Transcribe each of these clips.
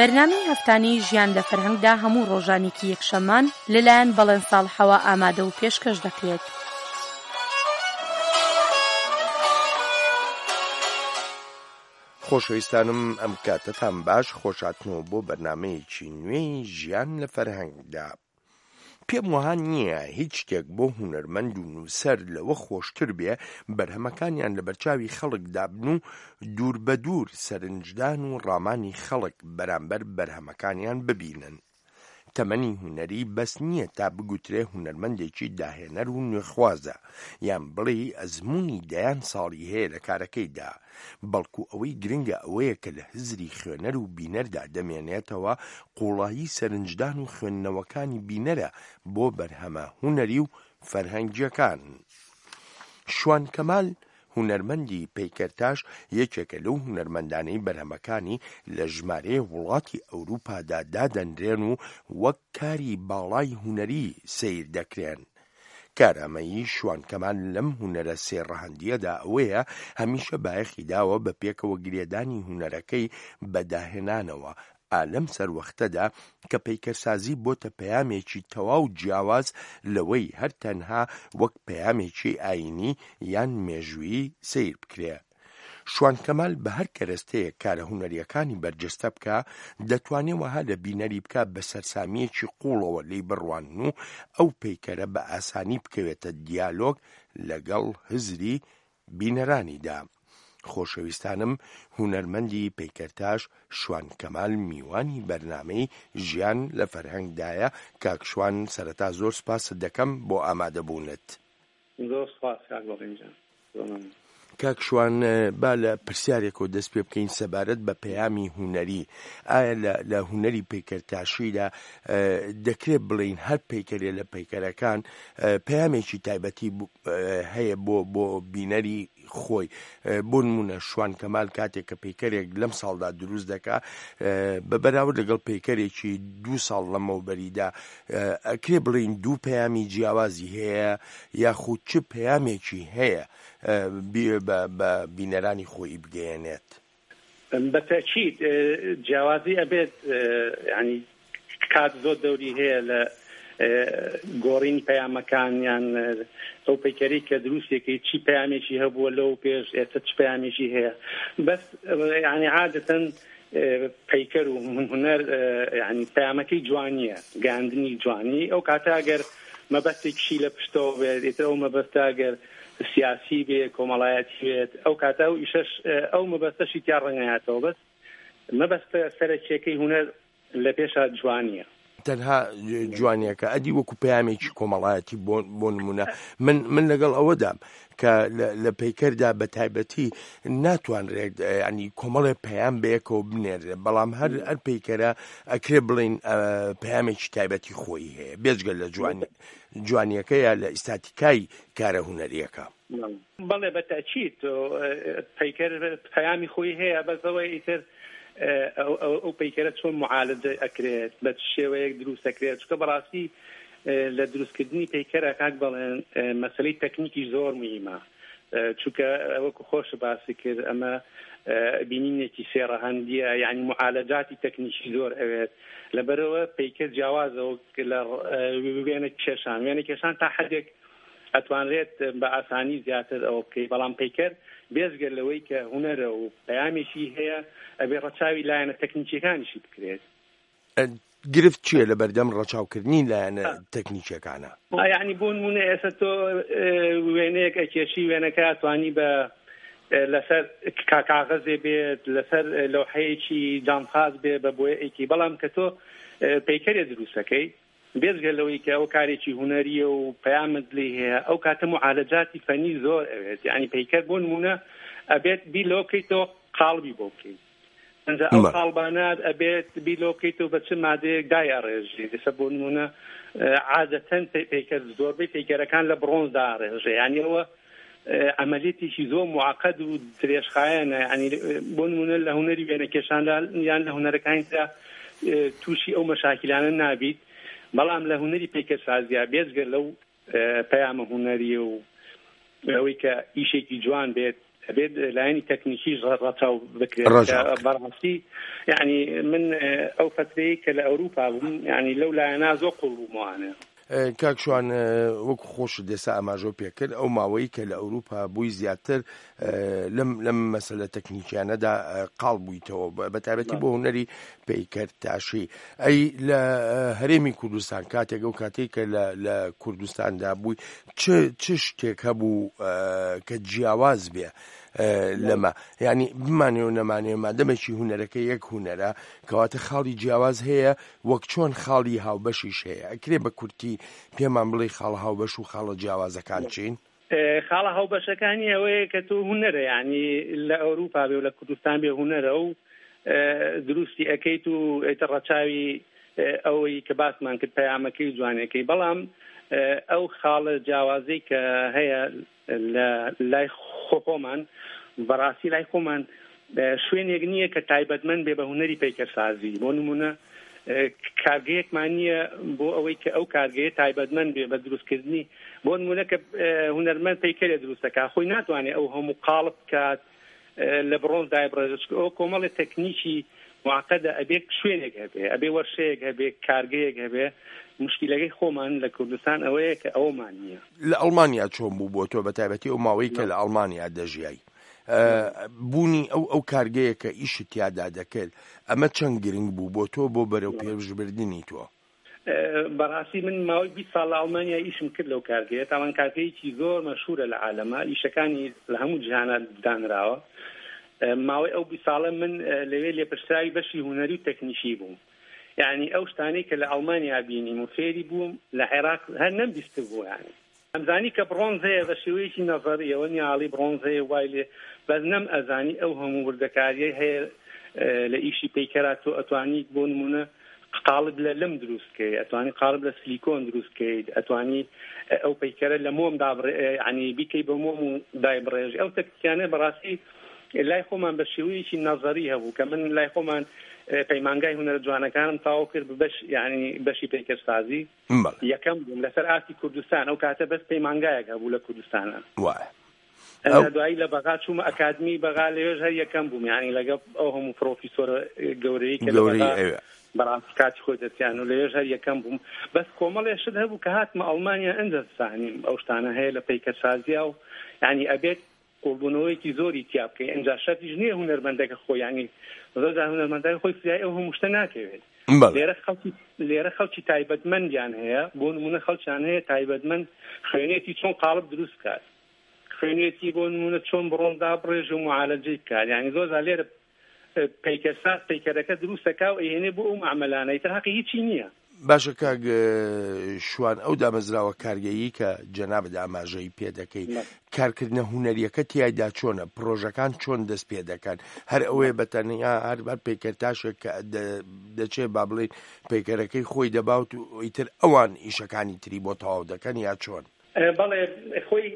بەرنامەی هەفتانەی ژیان لە فەرهەنگدا هەموو ڕۆژانێکی یەکشەممان لەلایەن بەڵێن ساڵحەوە ئامادە و پێشکەش دەکرێت. خۆشەویستانم ئەم کاتەتان باش خۆشهاتنەوە بۆ بەرنامەیەکی نوێی ژیان لە فەرهەنگدا. پێم وەها نییە هیچ شتێک بۆ هونەرمەند و نووسەر لەوە خۆشتر بێ بەرهەمەکانیان لەبەرچاوی خەڵکدا بن و دووربەدوور سەرنجدان و ڕامانی خەڵک بەرامبەر بەرهەمەکانیان ببینن. تەمەنی هونەری بەس نییە تا بگوترێ هونەرمەندێکی داهێنەر و نوێخوازە، یان بڵێی ئەزموونی دەیان ساڵی هەیە لە کارەکەیدا، بەڵکو ئەوەی گرنگە ئەوەیە کە لە هزری خوێنەر و بینەردا دەمێنێتەوە، قووڵایی سەرنجدان و خوێندنەوەکانی بینەرە بۆ بەرهەمە هونەری و فەرهەنگییەکان. شوان کەمال، هونەرمەندی پەیکەرتاش یەکێکە لەو هونەرمەندانەی بەرهەمەکانی لە ژمارەیەک وڵاتی ئەوروپادا دادەنرێن و وەک کاری باڵای هونەری سەیر دەکرێن. کارامەیی شوان کەمال لەم هونەرە سێ ڕەهەندییەدا ئەوەیە هەمیشە بایەخی داوە بە پێکەوە گرێدانی هونەرەکەی بە داهێنانەوە، ئا لەم سەروەختەدا کە پەیکەرسازی بۆتە پەیامێکی تەواو جیاواز لەوەی هەر تەنها وەک پەیامێکی ئایینی یان مێژوویی سەیر بکرێ. شوان کەمال بە هەر کەرەستەیەک کارە هونەرییەکانی بەرجەستە بکا، دەتوانێ وەها لە بینەری بکا بە سەرسامییەکی قووڵەوە لێی بڕوانن و ئەو پەیکەرە بە ئاسانی بکەوێتە دیالۆگ لەگەڵ هزری بینەرانیدا. خۆشەویستانم هونەرمەندی پەیکەرتاش شوان کەمال میوانی بەرنامەی ژیان لە فەرهەنگدایە، کاک شوان سەرەتا زۆر سوپاست دەکەم بۆ ئامادەبوونت. زۆر سوپاس کاک بەڵێن گیان. زۆر مەمنون. کاک شوان با لە پرسیارێکەوە دەست پێ بکەین سەبارەت بە پەیامی هونەری ئایا لە لە هونەری پەیکەرتاشیدا دەکرێت بڵێین هەر پەیکەرێ لە پەیکەرەکان پەیامێکی تایبەتی هەیە بۆ بۆ بینەری خۆی بۆ نمونە شوان کەمال کاتێک کە پەیکەرێک لەم ساڵدا دروست دەکا بە بەراورد لەگەڵ پەیکەرێکی دوو ساڵ لەمەوبەریدا ئەکرێ بڵین دوو پەیامی جیاوازی هەیە یاخود چ پەیامێکی هەیە بە بینەرانی خۆی بگەیەنێت؟ بە تەئکید جیاوازی ئەبێت یانی کات زۆر دەوری هەیە لە گۆڕینی پەیامەکان یان ئەو پەیکەری کە دروستێکی چی پەیامێکی هەبووە لەو پێش ئێستا چ پەیامێکی هەیە بەس یعنی عادەتەن پەیکەر و هونەر یعنی پەیامەکەی جوانیە گەاندنی جوانی ئەو کاتە ئەگەر مەبەستێکشی لە پشتەوە بێت ئیتر ئەو مەبەستە ئەگەر سیاسی بێ کۆمەڵایەتی بێت ئەو کاتە ئەو ئیشەش ئەو مەبەستەشی تیا ڕەنگایەتەوە بەس مەبەستە سەرەکیەکەی هونەر لە پێشا جوانیە. تەنها جوانیەکە ئەدی وەکو پەیامێکی کۆمەڵایەتی بۆ بۆ نمونە من من لەگەڵ ئەوەدام کە لە پەیکەردا بە تایبەتی ناتوانرێت ینی کۆمەڵێ پەیام بەیەکەوە بنێرێ بەڵام هەر هەر پەیکەرە ئەکرێ بڵین پەیامێکی تایبەتی خۆی هەیە بێجگە لە جوانی جوانیەکە یا لە ئیستاتیکای کارە هونەریەکە. بەڵێ بە تەئکید پەیکەر پەیامی خۆی هەیە بەس ئەوەی ئیتر ئەو پەیکەرە چۆن معالجە ئەکرێت بە چ شێوەیەک دروست ئەکرێت چونکە بەڕاستی لە دروستکردنی پەیکەرە کاک بەڵێن مەسەلەی تەکنیکی زۆر مهمە چونکە وەکو خۆش باسی کرد ئەمە بینینێکی سێ ڕەهەندیە یعنی معالەجاتی تەکنیکی زۆر ئەوێت لەبەرەوە پەیکەر جیاوازە لە وێنە کێشان وێنە کێشان تا حدێک ئەتوانرێت بە ئاسانی زیاتر ئەوە بکەی بەڵام پەیکەر بێجگە لەوەی کە هونەرە و پەیامێکی هەیە ئەبێ ڕەچاوی لایەنە تەکنیکیەکانیشی بکرێت. گرفت چییە لە بەردەم ڕەچاوکردنی لایەنە تەکنیکیەکانە؟ یعنی بۆ نمونە ئێستا تۆ وێنەیەک ئەکێشی وێنەکە ئەتوانی بە لەسەر کاغەزێ بێت لەسەر لەوحەیەکی جامخاز بێ بە بۆیەکی بەڵام کە تۆ پەیکەرێ دروستەکەی بێجگە لەوەی کە ئەوە کارێکی هونەرییە و پەیامت لێی هەیە، ئەو کاتە موعالەجاتی فەنی زۆر ئەوێت، یانی پەیکەر بۆ نموونە ئەبێت بیر لەوە بکەیتەوە قاڵبی بۆ بکەیت، ئینجا ئەو قاڵبانە ئەبێت بیر لەوە بکەیتەوە بە چ مادەیەک دایئەڕێژی، ئێستا بۆ نموونە عادەتەن پەیکەر زۆربەی پەیکەرەکان لە بڕۆنز دائەڕێژێ، یانی ئەوە عەمەلیەتێکی زۆر موعەقەد و درێژخایەنە، یانی بۆ نموونە لە هونەری وێنەکێشاندا یان لە هونەرەکانی ترا تووشی ئەو مەشاکیلانە نابیت، بەڵام لە هونەری پەیکەرسازیا بێجگە لەو پەیامە هونەرییە و ئەوەی کە ئیشێکی جوان بێت. ئەبێت لایەنی تەکنیکیش ڕەچاو بکرێت بەڕاستی یعنی من ئەو فترەی کە لە ئەوروپا بووم یعنی لەو لایەنە زۆر قوڵ بوومەوانە. کاک شوان وەکو خۆشت ئێستا ئاماژەو پێکرد ئەو ماوەی کە لە ئەوروپا بووی زیاتر لەم لەم مەسەلە تەکنیکیانەدا قاڵ بوویتەوە بە تایبەتی بۆ هونەری پەیکەرتاشی ئەی لە هەرێمی کوردستان کاتێک ئەو کاتێک کە لە کوردستاندا بووی چ چ شتێک هەبوو کە جیاواز بێ لەمە یعنی بمانێ و نەمانێ مادەمێکی هونەرەکە یەک هونەرە کەواتە خاڵی جیاواز هەیە وەک چۆن خاڵی هاوبەشیش هەیە ئەکرێ بە کورتی پێمان بڵێ خاڵە هاوبەش و خاڵە جیاوازەکان چین؟ خاڵە هاوبەشەکانی ئەوەیە کە تۆ هونەرە یانی لە ئەوروپا بێ و لە کوردستان بێ هونەرە و دروستی ئەکەیت و ئیتر ڕەچاوی ئەوەی کە باسمان کرد پەیامەکەی و جوانەکەی بەڵام ئەو خاڵە جیاوازەی کە هەیە لە لای خۆمان بەڕاستی لای خۆمان شوێنێک نییە کە تایبەتمەند بێ بە هونەری پەیکەرسازی بۆ نمونە کارگەیەکمان نییە بۆ ئەوەی کە ئەو کارگەیە تایبەتمەند بێ بە دروستکردنی بۆ نمونە کە هونەرمەند پەیکەرێ دروستەکە خۆی ناتوانێت ئەو هەموو قاڵب بکات لە بڕۆنز دایبڕێژێت چونکە ئەوە کۆمەڵی تەکنیکی معقدە ئەبێ شوێنێک هەبێ ئەبێ وەرشەیەک هەبێ کارگەیەک هەبێ مشکیلەکەی خۆمان لە کوردستان ئەوەیە کە ئەومان نییە. لە ئەڵمانیا چۆن بوو بۆ تۆ بە تایبەتی ئەو ماوەی کە لە ئەڵمانیا دەژیای بوونی ئەو ئەو کارگەیە کە ئیشت تیادا دەکرد ئەمە چەند گرنگ بوو بۆ تۆ بۆ بەرەو پێشبردنی تۆ؟ بەڕاستی من ماوەی 20 ساڵ لە ئەڵمانیا ئیشم کرد لەو کارگەیە تاوان کارگەیەکی زۆر مەشهورە لە عالەمە ئیشەکانی لە هەموو جیهانە دانراوە ماوەی ئەو 20 ساڵە من لەوێ لێپرسراوی بەشی هونەری و تەکنیکی بووم یعنی ئەو شتانەی کە لە ئەڵمانیا بینیم و فێری بووم لە عێراق هەر نەمبیستبوو یعنی ئەمزانی کە بڕۆنز هەیە بە شێوەیەکی نەزەری ئەوە نیە ئاڵی بڕۆنز هەیە وای لێ بەس نەم ئەزانی ئەو هەموو وردەکاریەی هەیە لە ئیشی پەیکەرا تۆ ئەتوانی بۆ نمونە قاڵب لە لم دروست کەی ئەتوانی قاڵب لە سلیکۆن دروست کەیت ئەتوانی ئەو پەیکەرە لە مۆم دابڕێ ینی بیکەی بە مۆم و دایبڕێژی ئەو تەکنیکانە بەڕاستی لای خۆمان بە شێوەیەکی نەزەری هەبوو کە من لای خۆمان پەیمانگای هونەرە جوانەکانم تەواو کرد بەش یعنی بەشی پەیکەرسازی بەڵێ. یەکەم بووم لەسەر ئاستی کوردستان ئەو کاتە بەس پەیمانگایەک هەبوو لە کوردستانە وایە. ئەو دوایی لە بەغا چوومە ئەکادمی بەغا لەوێش هەر یەکەم بووم یعنی لەگەڵ ئەو هەموو پرۆفیسۆرە گەورەی کە لە گەورەی بەغا ئەوێ. بەڕاستی کاتی خۆی دەرچیان و لەوێش هەر یەکەم بووم بەس کۆمەڵێ شت هەبوو کە هاتمە ئەڵمانیا ئەنجا زانیم ئەو شتانە هەیە لە پەیکەرسازیا و یعنی ئەبێت قوڵبوونەوەیەکی زۆری تیا بکەی ئینجا شەرتیش نییە هونەرمەندەکە خۆی یانی زۆر جار هونەرمەندەکە خۆی فریای ئەو هەموو شتە ناکەوێت بەڵێ. لێرە خەڵکی لێرە خەڵکی تایبەتمەندیان هەیە بۆ نمونە خەڵکیان هەیە تایبەتمەند خوێنێتی چۆن قاڵب دروست بکات خوێنێتی بۆ نمونە چۆن بڕۆن دابڕێژ و معالەجەی بکات یانی زۆر جار لێرە پەیکەرساز پەیکەرەکە دروست دەکا و ئەیهێنێ بۆ ئەو مەعمەلانە ئیتر هەقی هیچی نییە. باشە کاک شوان ئەو دامەزراوە کارگەیی کە جەنابت ئاماژەی پێ دەکەی کارکردنە هونەریەکە تیایدا چۆنە پرۆژەکان چۆن دەست پێ دەکەن هەر ئەوەیە بە تەنیا هەر بەر پەیکەرتاشێک کە دەچێ با بڵێین پەیکەرەکەی خۆی دەباوت و ئیتر ئەوان ئیشەکانی تری بۆ تەواو دەکەن یا چۆن؟ بەڵێ خۆی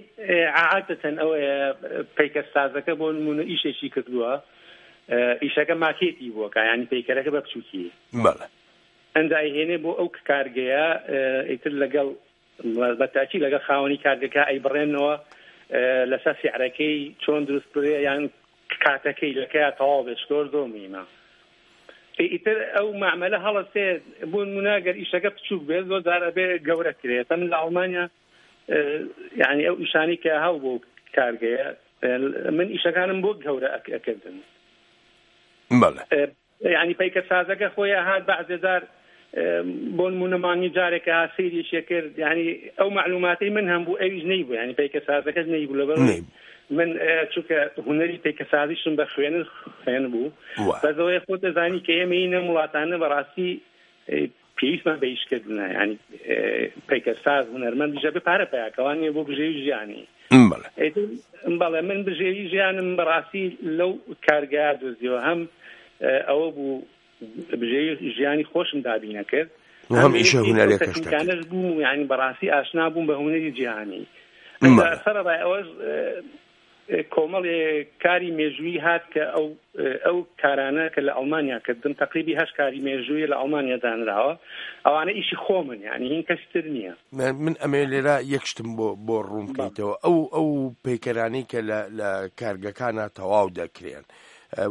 عادەتەن ئەوەیە پەیکەرسازەکە بۆ نمونە ئیشێکی کردووە ئیشەکە ماکێتی بووە کە ینی پەیکەرەکە بە بچووکی بەڵێ ئەنجا ئەیهێنێ بۆ ئەو کارگەیە ئیتر لەگەڵ بەتاکی لەگەڵ خاوەنی کارگەکە ئەیبڕێنەوە لەسەر سعرەکەی چۆن دروست بێ یان کاتەکەی لەکەیا تەواو بێت زۆر زۆر مهمە ئیتر ئەو مەعمەلە هەڵەسێ بۆ نمونە گەر ئیشەکە بچووک بێت زۆر جار ئەبێ گەورە کرێت من لە ئەڵمانیا یعنی ئەو ئیشانی کە هەو بۆ کارگەیە من ئیشەکانم بۆ گەورە ئەکردن بەڵێ یعنی پەیکەرسازەکە خۆی ئەهات بەعزێ جار بۆ نمونە مانگی جارێک کە سەیریشێ کرد یعنی ئەو معلوماتەی من هەم بوو ئەویش نەیبوو یعنی پەیکەرسازەکەش نەیبوو لەبەر من چونکە هونەری پەیکەسازیشم بە خوێنن خوێن بوو بەس ئەوەیە خۆت دەزانی کە ئێمە ئینە وڵاتانە بەڕاستی پێویستمان بە ئیشکردنە یعنی پەیکەرساز هونەرمەندیش ئەبێ پارە پیاکەوان نیە بۆ بژێوی ژیانی بەڵێ من بژێوی ژیانم بەڕاستی لەو کارگەیە دۆزیەوە هەم ئەوە بوو بژێوی ژیانی خۆشم دابینە کرد هەم ئیشە هونەرەکەش بووم یعنی بەڕاستی ئاشنا بووم بە هونەری جیهانی سەرەڕای ئەوەش. کۆمەڵێ کاری مێژوویی هات کە ئەو ئەو کارانە کە لە ئەڵمانیا کردم تەقریبی هەشت کاری مێژوویە لە ئەڵمانیا دانراوە ئەوانە ئیشی خۆمن یانی هین کەسی تر نییە. من ئەمەوێ لێرە یەک شتم بۆ بۆ ڕوون بکەیتەوە ئەو ئەو پەیکەرانەی کە لە لە کارگەکانا تەواو دەکرێن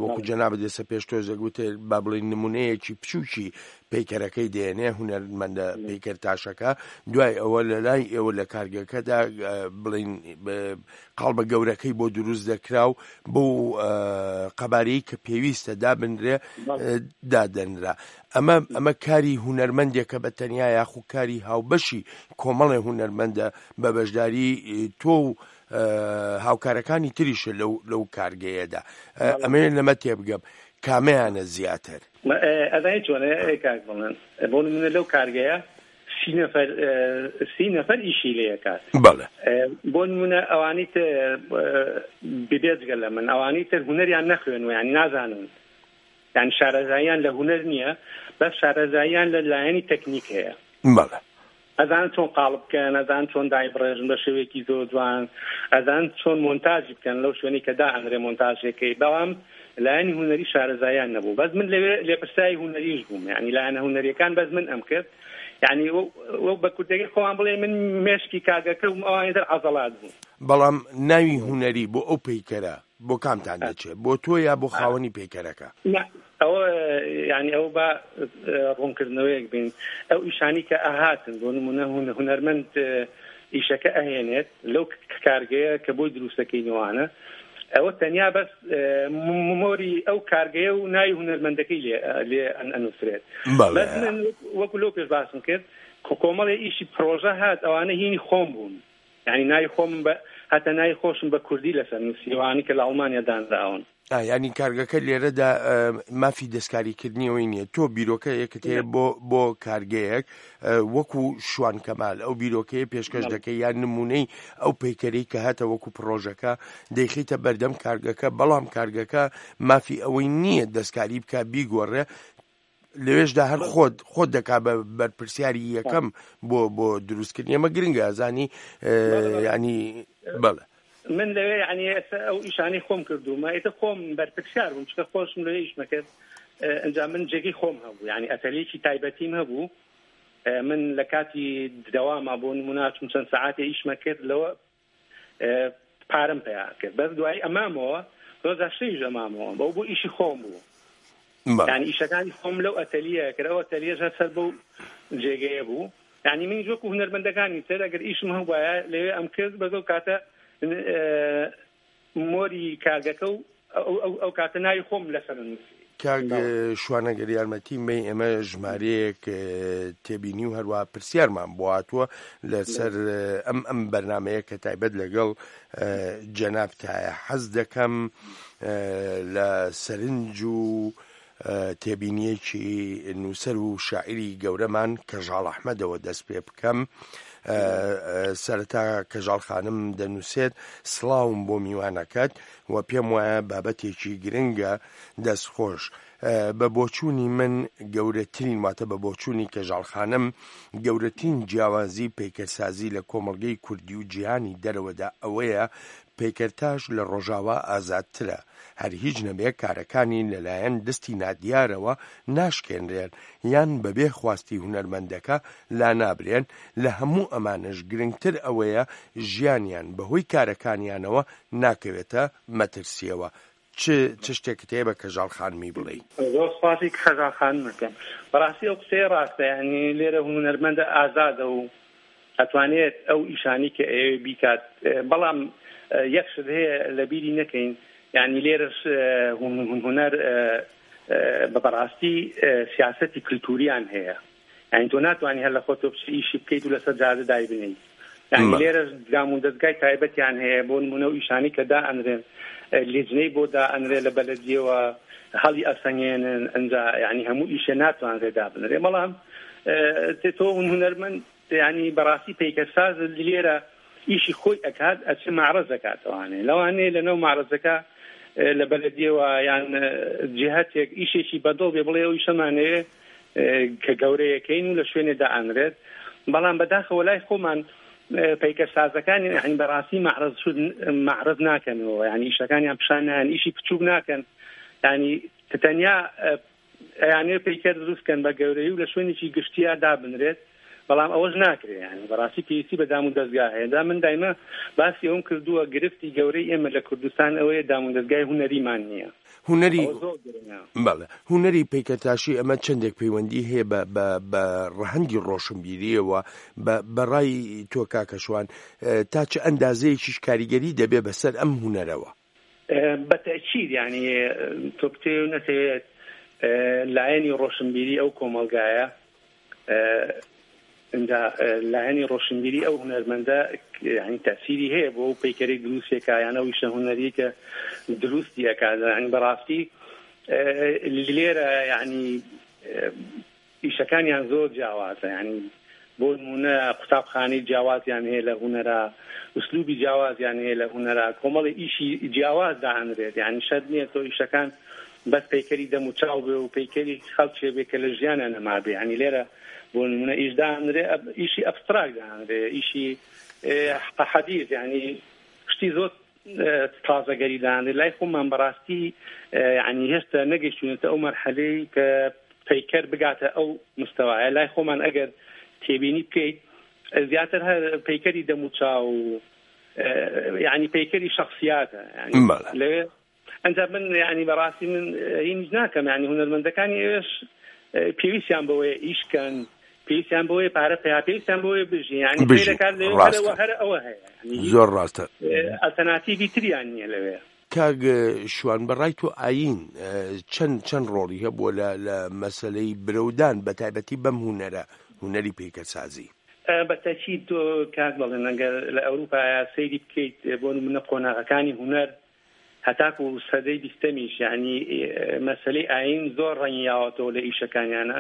وەکو جەنابت ئێستا پێش تۆزێک وتت با بڵێین نمونەیەکی بچووکی پەیکەرەکەی دێنێ هونەرمەندە پەیکەرتاشەکە دوای ئەوە لە لای ئێوە لە کارگەکەدا بڵین قاڵبە گەورەکەی بۆ دروست دەکرا و بۆ قەبارەی کە پێویستە دابنرێ دادەنرا ئەمە ئەمە کاری هونەرمەندێکە بە تەنیا یاخو کاری هاوبەشی کۆمەڵێ هونەرمەندە بە بەشداری تۆ و هاوکارەکانی تریشە لەو لەو کارگەیەدا ئەمەوێت لەمە تێبگەم کامەیانە زیاتر؟ ئەزانی چۆنە کاک بەڵێن بۆ نمونە لەو کارگەیە سی نەفەر سی نەفەر ئیشی لێ ئەکات. بەڵێ. بۆ نمونە ئەوانی تر بێجگە لە من ئەوانی تر هونەریان نەخوێنوە یانی نازانن یانی شارەزاییان لە هونەر نییە بەس شارەزاییان لە لایەنی تەکنیک هەیە. بەڵێ. ئەزانن چۆن قاڵب بکەن، ئەزانن چۆن دایبڕێژن بە شێوەیەکی زۆر جوان، ئەزانن چۆن مۆنتاجی بکەن لەو شوێنەی کە دائەنرێ مۆنتاژێکەی، بەڵام لایەنی هونەری شارەزاییان نەبوو. بەس من لەوێ لێپرسراوی هونەریش بووم، یانی لایەنە هونەرییەکان بەس من ئەمکرد، یانی وەک بە کوردییەکەی خۆمان بڵێین من مێشکی کاگەکە بووم ئەوانی تر عەزەڵات بوون. بەڵام ناوی هونەری بۆ ئەو پەیکەرە بۆ کامتان دەچێ؟ بۆ تۆ یا بۆ خاوەنی پەیکەرەکە؟ نا ئەوە یانی ئەوە با ڕوونکردنەوەیەک بین ئەو ئیشانی کە ئەهاتن بۆ نمونە هونەرمەند ئیشەکە ئەهێنێت لەو کارگەیە کە بۆی دروستەکەینەوانە ئەوە تەنیا بەس مۆری ئەو کارگەیە و ناوی هونەرمەندەکەی لێ لێ ئەنووسرێت بەس من وەکو لەو پێش باسم کرد کۆمەڵێ ئیشی پرۆژە هات ئەوانە هینی خۆم بوون یانی ناوی خۆمم بە هەتا ناوی خۆشم بە کوردی لەسەر نووسیوە ئەوانەی کە لە ئەڵمانیا دانراون. ئا یانی کارگەکە لێرەدا مافی دەستکاریکردنی ئەوەی نییە تۆ بیرۆکەیەکت هەیە بۆ بۆ کارگەیەک وەکو شوان کەمال ئەو بیرۆکەیە پێشکەش دەکەی یان نمونەی ئەو پەیکەرەی کە هاتە وەکو پڕۆژەکە دەیخیتە بەردەم کارگەکە بەڵام کارگەکە مافی ئەوەی نییە دەستکاری بکە بیگۆڕێ لەوێشدا هەر خۆت خۆت دەکا بە بەرپرسیاری یەکەم بۆ بۆ دروستکردنی ئەمە گرنگە ئەزانی ینی بەڵێ من لەوێ یعنی ئێستا ئەو ئیشانەی خۆم کردوومە ئێتە خۆم بەرپرسیار بووم چکە خۆشم لەوێ ئیشمە کرد ئەنجا من جێگەی خۆم هەبوو یعنی ئەتەلیەکی تایبەتیم هەبوو من لە کاتی دەواما بۆ نمونە چون چەند سەعاتێ ئیشمە کرد لەوە پارەم پەیا کرد بەس دوایی ئەمامەوە ڕۆژا شەویش ئەمامەوە بەو بۆ ئیشی خۆم بوو یعنی ئیشەکانی خۆم لەو ئەتەلیە کرد ئەو ئەتەلیەش هەر سەر بەو جێگەیە بوو یعنی منیش وەکو هونەرمەندەکانی تر ئەگەر ئیشم هەبوایە لەوێ ئەم کرد بەس ئەو کاتە مۆری کارگەکە و ئەو کاتە ناوی خۆم لەسەر نووسی. کاک شوان ئەگەر یارمەتیم بەی ئێمە ژمارەیەک تێبینی و هەروە پرسیارمان بۆ هاتووە لەسەر ئەم ئەم بەرنمەیە کە تایبەت لەگەڵ جەنابتایە حەز دەکەم لە سەرنج و تێبینیەکی نووسەر و شاعیری گەورەمان کەژاڵ ئەحمەدەوە دەست پێ بکەم. سەرەتا کەژاڵ خانم دەنووسێت سڵاوم بۆ میوانەکەت و پێم وایە بابەتێکی گرنگە دەست خۆش. بە بۆچوونی من گەورەترین واتە بە بۆچوونی کەژاڵ خانم گەورەترین جیاوازی پەیکەرسازی لە کۆمەڵگەی کوردی و جیهانی دەرەوەدا ئەوەیە پەیکەرتاش لە ڕۆژاوا ئازادترە هەر هیچ نەبێ کارەکانی لەلایەن دەستی نادیارەوە ناشکێنرێن یان بەبێ خواستی هونەرمەندەکە لانابرێن، لە هەموو ئەمانەش گرنگتر ئەوەیە ژیانیان بەهۆی کارەکانیانەوە ناکەوێتە مەترسییەوە. چ چ شتێکت هەیە بە کەژاڵ خانمی بڵێی؟ زۆر سوپاسی کەژاڵ خانم ئەکەم. بەڕاستی ئەو قسەیە ڕاستە یانی لێرە هونەرمەندە ئازادە و ئەتوانێت ئەو ئیشانەی کە ئەیەوێ بیکات بەڵام یەک شت هەیە لە بیری نەکەین یانی لێرەش هونەر بە بەڕاستی سیاسەتی کلتوریان هەیە یانی تۆ ناتوانانی هەر لە خۆتۆ بچی ئیشی بکەیت و لەسەر جادە دایبنێیت یانی لێرەش دام و دەزگای تایبەتیان هەیە بۆ نمونە و ئیشانی کە دائەنرێن لیژنەی بۆ دائەنرێ لە بەلەدیەوە هەڵی ئەسەنگێنن ئەنجا یانی هەموو ئیشێ ناتوانرێ دابنرێ بەڵام تۆ هونەرمەند یانی بەڕاستی پەیکەرساز لێرە ئیشی خۆی ئەکات ئەچێ مەعرەز ئەکاتەوانێ لەوانەیە لەناو مەعرەزەکە لە بەلەدیەوە یان جهتێک ئیشێکی بەدڵ بێ بڵێ ئەو ئیشەمانەوێ کە گەورەیەکەین و لە شوێنێ دائەنرێت بەڵام بەداخەوە لای خۆمان. پەیکەرسازەکان یعنی بەڕاستی مەعرەز شوود مەعرەز ناکەنەوە یعنی ئیشەکانیان پیشان نایەن ئیشی بچووک ناکەن یعنی تەنیا ئەیانەوێ پەیکەر دروست کەن بە گەورەی و لە شوێنێکی گشتیا دابنرێت بەڵام ئەوەش ناکرێ یانی بەڕاستی پێویستی بە دام و دەزگا هەیە دا من دایمە باسی ئەوم کردووە گرفتی گەورەی ئێمە لە کوردستان ئەوەیە دام و دەزگای هونەریمان نییە هونەری بەڵێ هونەری پەیکەرتاشی ئەمە چەندێک پەیوەندی هەیە بە بە بە ڕەهەندی ڕۆشنبیریەوە بە بەڕای تۆ کاکە شوان تا چ ئەندازەیەکیش کاریگەری دەبێ بەسەر ئەم هونەرەوە؟ بە تەئکید یانی تۆ بتەوێ و نەتەوێت لایەنی ڕۆشنبیری ئەو کۆمەڵگایە ئینجا لایەنی ڕۆشنبیری ئەو هونەرمەندە یانی تەسیری هەیە بۆ ئەو پەیکەرەی دروستێکا یان ئەو ئیشە هونەریەی کە دروستی ئەکات یانی بەڕاستی لێرە یانی ئیشەکانیان زۆر جیاوازە یانی بۆ نموونە قوتابخانەی جیاوازیان هەیە لە هونەرا ئوسلوبی جیاوازیان هەیە لە هونەرا کۆمەڵی ئیشی جیاواز دائەنرێت یانی شەرت نییە تۆ ئیشەکان بەس پەیکەری دەم و چاو بێ و پەیکەری خەڵکێ بێ کە لە ژیانە نەمابێ یانی لێرە بۆ نموونە ئیش دائەنرێ ئیشی ئەبستراک دائەنرێ ئیشی حەدیث یانی شتی زۆر تازەگەری دانرێت لای خۆمان بەڕاستی یعنی هێشتا نەگەیشتوینەتە ئەو مەرحەلەی کە پەیکەر بگاتە ئەو مستەوایە لای خۆمان ئەگەر تێبینی بکەیت زیاتر هەر پەیکەری دەموچاو یعنی پەیکەری شخصیاتە یعنی لەوێ ئەنجا من یعنی بەڕاستی من هینیش ناکەم یعنی هونەرمەندەکانی ئێش پێویستیان بەوەیە ئیشکەن پێویستیان بەوەیە پارە پەیا پێویستیان بەوەیە بژین یعنی بژین خەیرەکان لەوێ ڕاستە هەرەوە هەر ئەوە هەیە یعنی زۆر ڕاستە ئەلتەناتیڤی تریان نییە لەوێ. کاک شوان بە ڕای تۆ ئایین چەند چەند ڕۆڵی هەبووە لە لە مەسەلەی برەودان بە تایبەتی بەم هونەرە هونەری پەیکەرسازی؟ بە تەئکید تۆ کاک بەڵێن ئەگەر لە ئەوروپایا سەیری بکەیت بۆ نمونە قۆناغەکانی هونەر هەتاکو سەدەی بیستەمیش یانی مەسەلەی ئایین زۆر ڕەنگی یاوەتەوە لە ئیشەکانیانە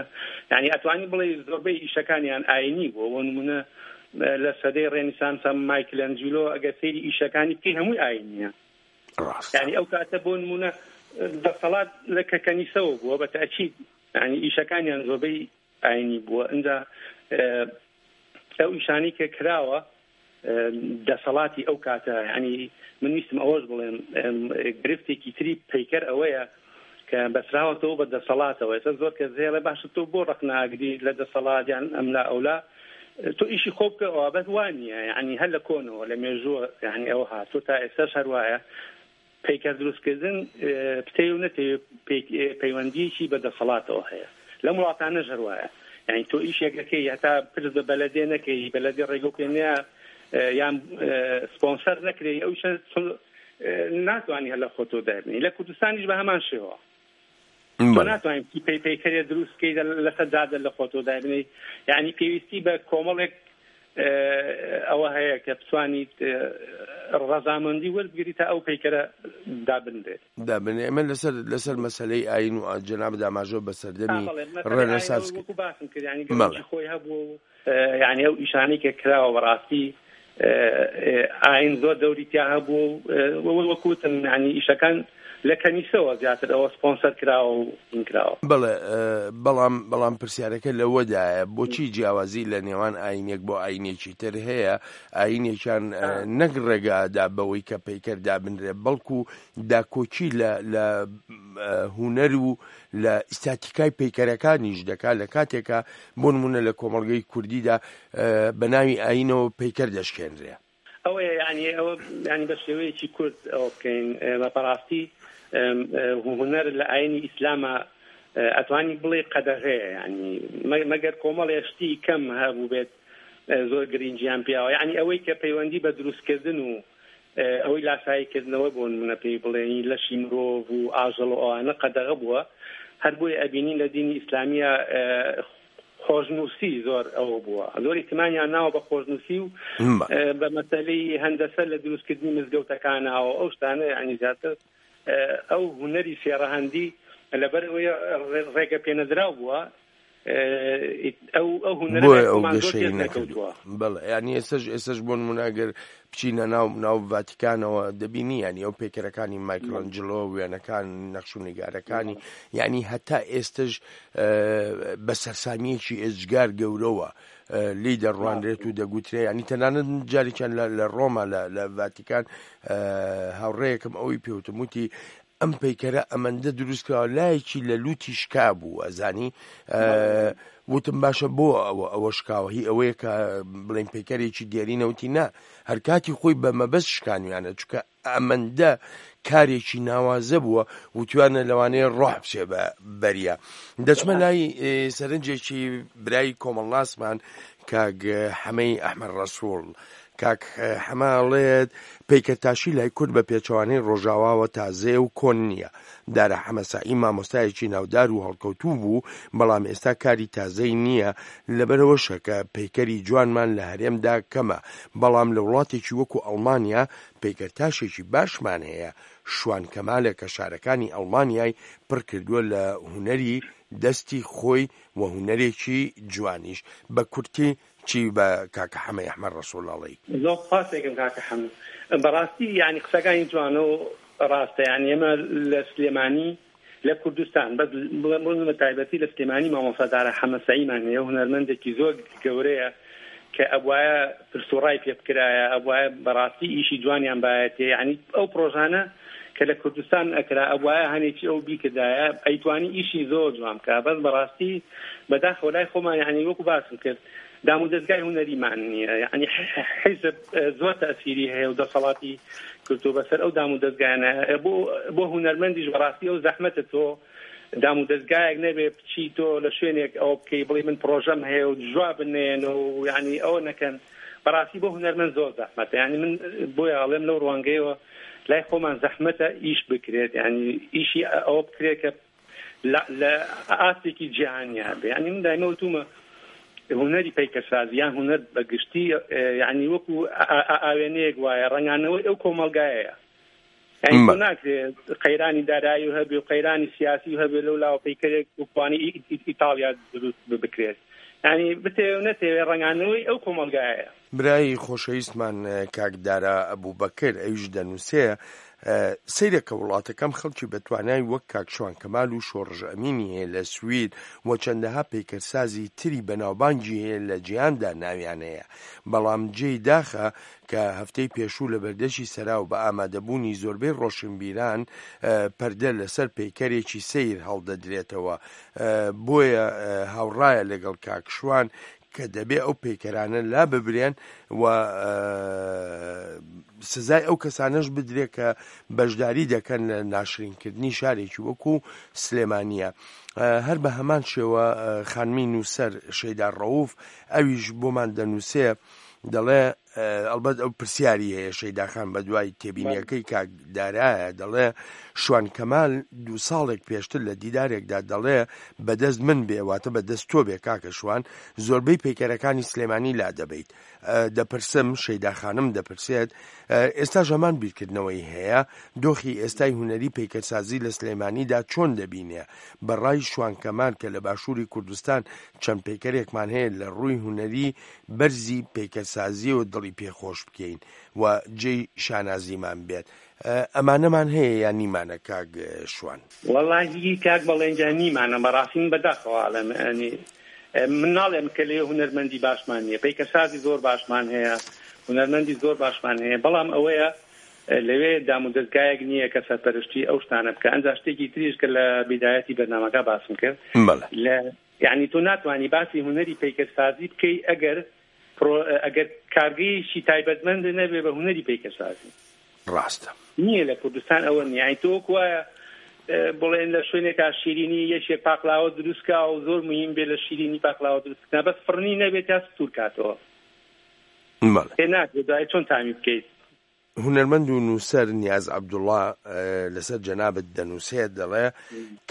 یانی ئەتوانی بڵێ زۆربەی ئیشەکانیان ئاینی بووە بۆ نمونە لە سەدەی ڕێنیسانسا مایکلەنجیلۆ ئەگەر سەیری ئیشەکانی بکەی هەمووی ئاینیە ڕاستە یانی ئەو کاتە بۆ نمونە دەسەڵات لە کە کەنیسەوە بووە بە تەئکید یانی ئیشەکانیان زۆربەی ئاینی بووە ئینجا ئەو ئیشانەی کە کراوە دەسەڵاتی ئەو کاتە یانی من ویستم ئەوەش بڵێم گرفتێکی تری پەیکەر ئەوەیە کە بەسراوەتەوە بە دەسەڵاتەوە ئێستا زۆر کەس هەیە باشە تۆ بۆ ڕەخناگری لە دەسەڵات یان ئەملا ئەولا تۆ ئیشی خۆ بکەوە بەس وانە یعنی هەر لە کۆنەوە لە مێژووە یعنی ئەوە هاتووە تا ئێستاش هەر وایە پەیکەر دروستکردن بتەوێ و نەتەوێ پەیوەندییەکی بە دەسەڵاتەوە هەیە. لەم وڵاتانەش هەر وایە. یانی تۆ ئیشێک ئەکەی هەتا پرس بە بەلەدێ نەکەی، بەلەدێ ڕێگەو پێ نەیا یان سپۆنسەر نەکرێی ئەو ئیشە ناتوانی هەر لە خۆتەوە دایبنێی. لە کوردستانیش بە هەمان شێوە. تۆ ناتوانین پەی پەیکەرێ دروست بکەی لەسەر جادە لە خۆتەوە دایبنێی. یانی پێویستی بە کۆمەڵێک ئەوە هەیە کە بتوانیت ڕەزامەندی وەربگری تا ئەو پەیکەرە دابنرێت. دابنرێت. ئێمە لەسەر لەسەر مەسەلەی ئایین و جەنابت ئاماژە بە سەردەمی ڕێنەسانس کرد. وەکو باسم کرد یانی گرنگی خۆی هەبوو و یانی ئەو ئیشانەی کە کراوە بەڕاستی ئایین زۆر دەوری تیا هەبوو و وەکو وتم یانی ئیشەکان لە کەنیسەوە زیاتر ئەوە سپۆنسەر کراوە و هین کراوە. بەڵێ بەڵام بەڵام پرسیارەکە لەوەدایە بۆچی جیاوازی لە نێوان ئاینێک بۆ ئاینێکی تر هەیە ئاینێکیان نەک ڕێگادا بەوەی کە پەیکەر دابنرێ بەڵکو داکۆکی لە لە هونەر و لە ئیستاتیکای پەیکەرەکانیش دەکات لە کاتێکا بۆ نمونە لە کۆمەڵگەی کوردیدا بە ناوی ئاینەوە پەیکەر دەشکێنرێ. ئەوەیە یانی ئەوە یانی بە شێوەیەکی کورت ئەوە بکەین بە بەڕاستی هونەر لە ئاینی ئیسلامە ئەتوانی بڵێ قەدەغەیە یانی مەگەر کۆمەڵێ شتی کەم هەبوو بێت زۆر گرنگیان پیاوە یانی ئەوەی کە پەیوەندی بە دروستکردن و ئەوەی لاسایی کردنەوە بۆ نمونە پێی بڵێنی لەشی مرۆڤ و ئاژەڵ و ئەوانە قەدەغە بووە هەر بۆیە ئەبینین لە دینی ئیسلامیە خۆشنووسی زۆر ئەوە بووە زۆر ئیهتمامیان ناوە بە خۆشنووسی و بە مەسەلەی هەندەسە لە دروستکردنی مزگەوتەکانەوە ئەو شتانە یعنی زیاتر ئەو هونەری سێڕەهەندی لەبەر ئەوەی ڕێگە پێنەدراو بووە. ئەو ئەو هونەرە بۆیە لای ئەو خۆمان زۆر گەشەی پێش نەکردووە نەکەوتووە. بەڵێ یانی ئێستاش ئێستاش بۆ نمونە ئەگەر بچینە ناو ناو ڤاتیکانەوە دەبینی یانی ئەو پەیکەرەکانی مایکلانجلۆ وێنەکان نەخش و نیگارەکانی یانی هەتا ئێستش بە سەرسامییەکی ئێجگار گەورەوە لێی دەڕوانرێت و دەگوترێ ینی تەنانەت جارێکیان لە ڕۆما لە ڤاتیکان هاوڕێیەکم ئەوەی پێوتم وتی ئەم پەیکەرە ئەمەندە دروست کراوە لایەکی لە لوتی شکا بوو ئەزانی وتم باشە بۆ ئەوە ئەوە شکاوە هی ئەوەیە کە بڵێن پەیکەرێکی دێرینە وتی نا هەرکاتی خۆی بە مەبەست شکانویانە چونکە ئەمەندە کارێکی ناوازە بووە وتویانە لەوانەیە ڕۆح بچێ بە بەریا دەچمە لای سەرنجێکی برای کۆمەڵناسمان کاک حەمەی ئەحمەد ڕەسوڵ کاک حەمە ئەڵێت، پەیکەرتاشی لای کورد بە پێچەوانەی ڕۆژاواوە تازەیە و کۆن نییە. دارا حەمەسەعی مامۆستایەکی ناودار و هەڵکەوتوو بوو، بەڵام ئێستا کاری تازەی نییە، لەبەرئەوەشە کە پەیکەری جوانمان لە هەرێمدا کەمە، بەڵام لە وڵاتێکی وەکو ئەڵمانیا پەیکەرتاشێکی باشمان هەیە، شوان کەمالە کە شارەکانی ئەڵمانیای پڕکردووە لە هونەری دەستی خۆی و هونەرێکی جوانیش. بە کورتی چی بە کاکە حەمەی ئەحمەد ڕەسوڵ ئەڵێی؟ زۆر سوپاس دەکەم کاکە حەمە بەڕاستی یانی قسەکانی جوانە و ڕاستە یانی ئێمە لە سلێمانی لە کوردستان بەس بڵێم بۆ بە تایبەتی لە سلێمانی مامۆستا دارا حەمە سەعیمان هەیە هونەرمەندێکی زۆر گەورەیە کە ئەبوایە پرس و ڕای پێ بکرایە ئەبوایە بەڕاستی ئیشی جوانیان بایەتێ یانی ئەو پرۆژانە کە لە کوردستان ئەکرا ئەبوایە هەنێکی ئەو بیکردایە ئەیتوانی ئیشی زۆر جوان بکا بەس بەڕاستی بەداخەوە لای خۆمان یانی وەکو باسم کرد دامودەزگای هونەریمان نییە یانی حیزب زۆر تەئسیری هەیە و دەسەڵاتی کردو بەسەر ئەو دامودەزگایانە بۆ بۆ هونەرمەندیش بەڕاستی ئەو زەحمەتە تۆ دامودەزگایەک نەبێ بچی تۆ لە شوێنێک ئەوە بکەی بڵێ من پرۆژەم هەیە و جواب نێن و یعنی ئەوە نەکەن بەڕاستی بۆ هونەرمەند زۆر زەحمەتە یعنی من بۆیە ئەڵێم لەو ڕوانگەیەوە لای خۆمان زەحمەتە ئیش بکرێت یعنی ئیشی ئەوە بکرێت کە لە ئاستێکی جیهانیا بێ یعنی من دایمە وتومە هونەری پەیکەرسازی یان هونەر بە گشتی یعنی وەکو ئاوێنەیەک وایە ڕەنگانەوەی ئەو کۆمەڵگایەیە یعنی تۆ ناکرێت قەیرانی دارایی و هەبێ و قەیرانی سیاسی و هەبێ لەو لاوە پەیکەرێک وکوانی ئیتاڵیا دروست بکرێت یعنی بتەوێ و نەتەوێ ڕەنگانەوەی ئەو کۆمەڵگایەیە. برای خۆشەویستمان کاک دارا ئەبوبەکر ئەویش دەنووسێ، سەیرە کە وڵاتەکەم خەڵکی بەتوانای وەک کاک شوان کەمال و شۆڕش ئەمینی هەیە لە سوید و چەندەها پەیکەرسازی تری بەناوبانگی هەیە لە جیهاندا ناویان هەیە بەڵام جێی داخە کە هەفتەی پێشوو لە بەردەشی سەراو بە ئامادەبوونی زۆربەی ڕۆشنبیران پەردە لەسەر پەیکەرێکی سەیر هەڵدەدرێتەوە بۆیە هاوڕایە لەگەڵ کاک شوان کە دەبێ ئەو پەیکەرانە لاببرێن و سزای ئەو کەسانەش بدرێت کە بەشداری دەکەن لە ناشرینکردنی شارێکی وەکو سلێمانیە هەر بە هەمان شێوە خانمی نووسەر شەیدا ڕەوف ئەویش بۆمان دەنووسێ دەڵێ ئەڵبەت ئەو پرسیاری هەیە شەیدا خان بە دوای تێبینیەکەی کاک دارایە دەڵێ شوان کەمال دوو ساڵێک پێشتر لە دیدارێکدا دەڵێ بەدەست من بێ واتە بە دەست تۆ بێ کاکە شوان زۆربەی پەیکەرەکانی سلێمانی لا دەبەیت دەپرسم شەیدا خانم دەپرسێت ئێستاش هەمان بیرکردنەوەی هەیە دۆخی ئێستای هونەری پەیکەرسازی لە سلێمانیدا چۆن دەبینێ بە ڕای شوان کەمال کە لە باشووری کوردستان چەند پەیکەرێکمان هەیە لە ڕووی هونەری بەرزی پەیکەرسازیەوە دڵی پێ خۆش بکەین و جێی شانازیمان بێت ئەمانەمان هەیە یان نیمانە کاک شوان؟ وەڵاهی کاک بەڵێن گیان نیمانە بەڕاستی من بەداخەوە ئەڵێم یانی من ناڵێم کە لێ هونەرمەندی باشمان نییە پەیکەرسازی زۆر باشمان هەیە هونەرمەندی زۆر باشمان هەیە بەڵام ئەوەیە لەوێ دامودەزگایەک نییە کە سەرپەرشتی ئەو شتانە بکە ئەنجا شتێکی تریش کە لە بیدایەتی بەرنامەکە باسم کرد لە یانی تۆ ناتوانی باسی هونەری پەیکەرسازی بکەی ئەگەر پرۆ ئەگەر کارگەیەکی تایبەتمەند نەبێ بە هونەری پەیکەرسازی. ڕاستە. نییە لە کوردستان ئەوە نییە یانی تۆ وەک وایە بڵێن لە شوێنێکا شیرینی یەکێ پاقلاوە دروست کا و زۆر مهم بێ لە شیرینی پاقلاوە دروست کردن بەس فڕنی نەبێت تا ستور کاتەوە. بەڵێ. پێ ناکرێت دوای چۆن تامی بکەیت. هونەرمەند و نووسەر نیاز عەبدوڵا لەسەر جەنابت دەنووسێت دەڵێ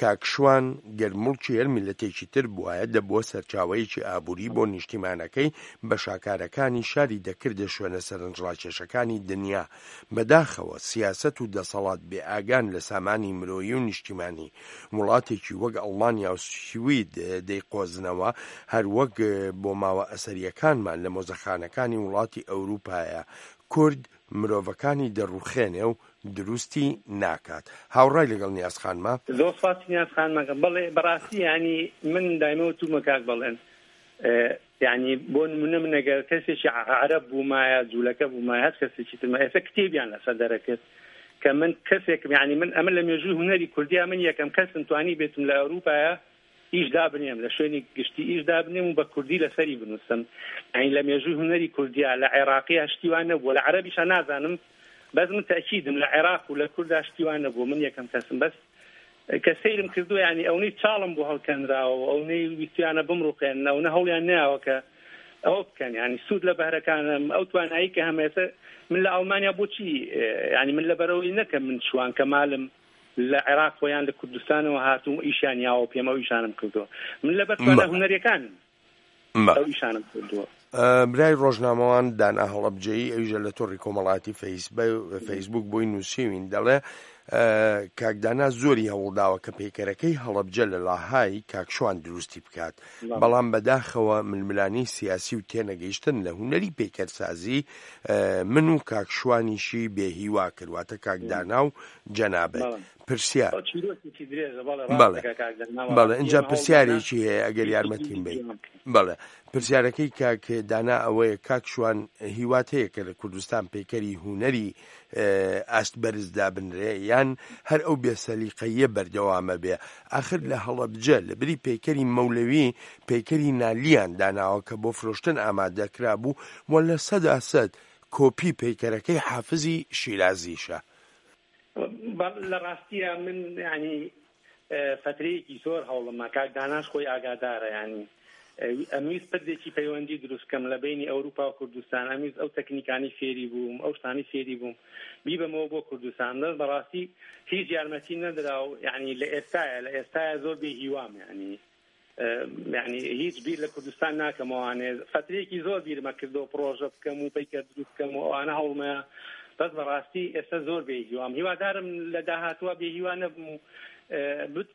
کاک شوان گەر موڵکی هەر میللەتێکی تر بوایە دەبووە سەرچاوەیەکی ئابووری بۆ نیشتیمانەکەی بە شاکارەکانی شاری دەکردە شوێنە سەرنجڕاکێشەکانی دنیا بەداخەوە سیاسەت و دەسەڵات بێ ئاگان لە سامانی مرۆیی و نیشتیمانی وڵاتێکی وەک ئەڵمانیا و سوید دەیقۆزنەوە هەر وەک بۆماوە ئەسەریەکانمان لە مۆزەخانەکانی وڵاتی ئەوروپایە کورد مرۆڤەکانی دەڕوخێنێ و دروستی ناکات. هاوڕای لەگەڵ نیاز خانمە؟ زۆر سوپاسی نیاز خانمەکەم. بەڵێ بەڕاستی یانی من دایمە وتومە کاک بەڵێن یانی بۆ نمونە من ئەگەر کەسێکی عەرەب بوومایە جوولەکە بوومایە هەر کەسێکی ترمە ئێستا کتێبیان لەسەر دەرەکرد کە من کەسێکم یانی من ئەمە لە مێژووی هونەری کوردیا من یەکەم کەسم توانی بێتم لە ئەوروپایە ئیش دابنێم لە شوێنی گشتی ئیش دابنێم و بە کوردی لەسەری بنووسم یانی لە مێژووی هونەری کوردیا لە عێراقیا شتی وا نەبووە لە عەرەبیشا نازانم بەس من تەئکیدم لە عێراق و لە کوردا شتی وا نەبووە من یەکەم کەسم بەس کە سەیرم کردووە یانی ئەونەی چاڵم بۆ هەڵکەنراوە و ئەونەی ویستویانە بمڕوخێنن ئەونە هەوڵیان نەیاوە کە ئەوە بکەن یانی سوود لە بەهرەکانم ئەو توانایی کە هەمە ئێستا من لە ئەڵمانیا بۆچی یانی من لەبەرەوەی نەکەم من شوان کەمالم لە عێراق یان لە کوردستانەوە هاتووم ئیشیان یاوە پێم ئەو ئیشانەم کردووە من لەبەر توانا هونەریەکانم ئەو ئیشانەم کردووە. برای ڕۆژنامەوان دانا هەڵەبجەیی ئەویشە لە تۆڕی کۆمەڵاتی فەیسبوک بۆی نووسیوین دەڵێ کاک دانا زۆری هەوڵداوە کە پەیکەرەکەی هەڵەبجە لە لاهای کاک شوان دروستی بکات بەڵام بەداخەوە ململانێی سیاسی و تێنەگەیشتن لە هونەری پەیکەرسازی من و کاک شوانیشی بێ هیوا کرد واتە کاک دانا و جەنابت پرسیار بەڵێ بەڵێ ئینجا پرسیارێکی هەیە ئەگەر یارمەتیم بەی بەڵێ پرسیارەکەی کاک دانا ئەوەیە کاک شوان هیوات هەیە کە لە کوردستان پەیکەری هونەری ئاست بەرز دابنرێ یان هەر ئەو بێسەلیقەییە بەردەوامە بێ ئاخر لە هەڵەبجە لە بری پەیکەری مەولەوی پەیکەری نالیان داناوە کە بۆ فرۆشتن ئامادە کرابوو و 100% کۆپی پەیکەرەکەی حافزی شیرازیشە. لە ڕاستیە من یانی فەترەیەکی زۆر هەوڵمە کاک داناش خۆی ئاگادارە یانی ئەمویست پردێکی پەیوەندی دروست کەم لە بینی ئەوروپا و کوردستان ئەمویست ئەو تەکنیکانی فێری بووم ئەو شتانی فێری بووم بیبەمەوە بۆ کوردستان بەس بەڕاستی هیچ یارمەتی نەدرا و یعنی لە ئێستاە لە ئێستاە زۆر بێ هیوام یعنی یعنی هیچ بیر لە کوردستان ناکەمەوانێ فترەیەکی زۆر بیرمە کردەوە پرۆژە بکەم و پەیکەر دروست بکەم و ئەوانە هەوڵمەیە بەس بەڕاستی ئێستا زۆر بێ هیوام هیوادارم لە داهاتوە بێ هیوا نەبم و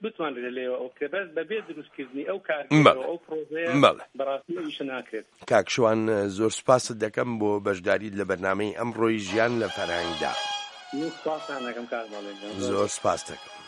بتوانرێت لێوە ئەو بکرێت بەس بەبێ دروستکردنی ئەو کارگەرە ئەو پرۆژەیە بەڕاستی ئیشە ناکرێت. کاک شوان زۆر سوپاست دەکەم بۆ بەشداریت لە بەرنامەی ئەمڕۆی ژیان لە فەرهەنگدا. من سوپاستان دەکەم کاک بەڵێن زۆر سوپاست دەکەم.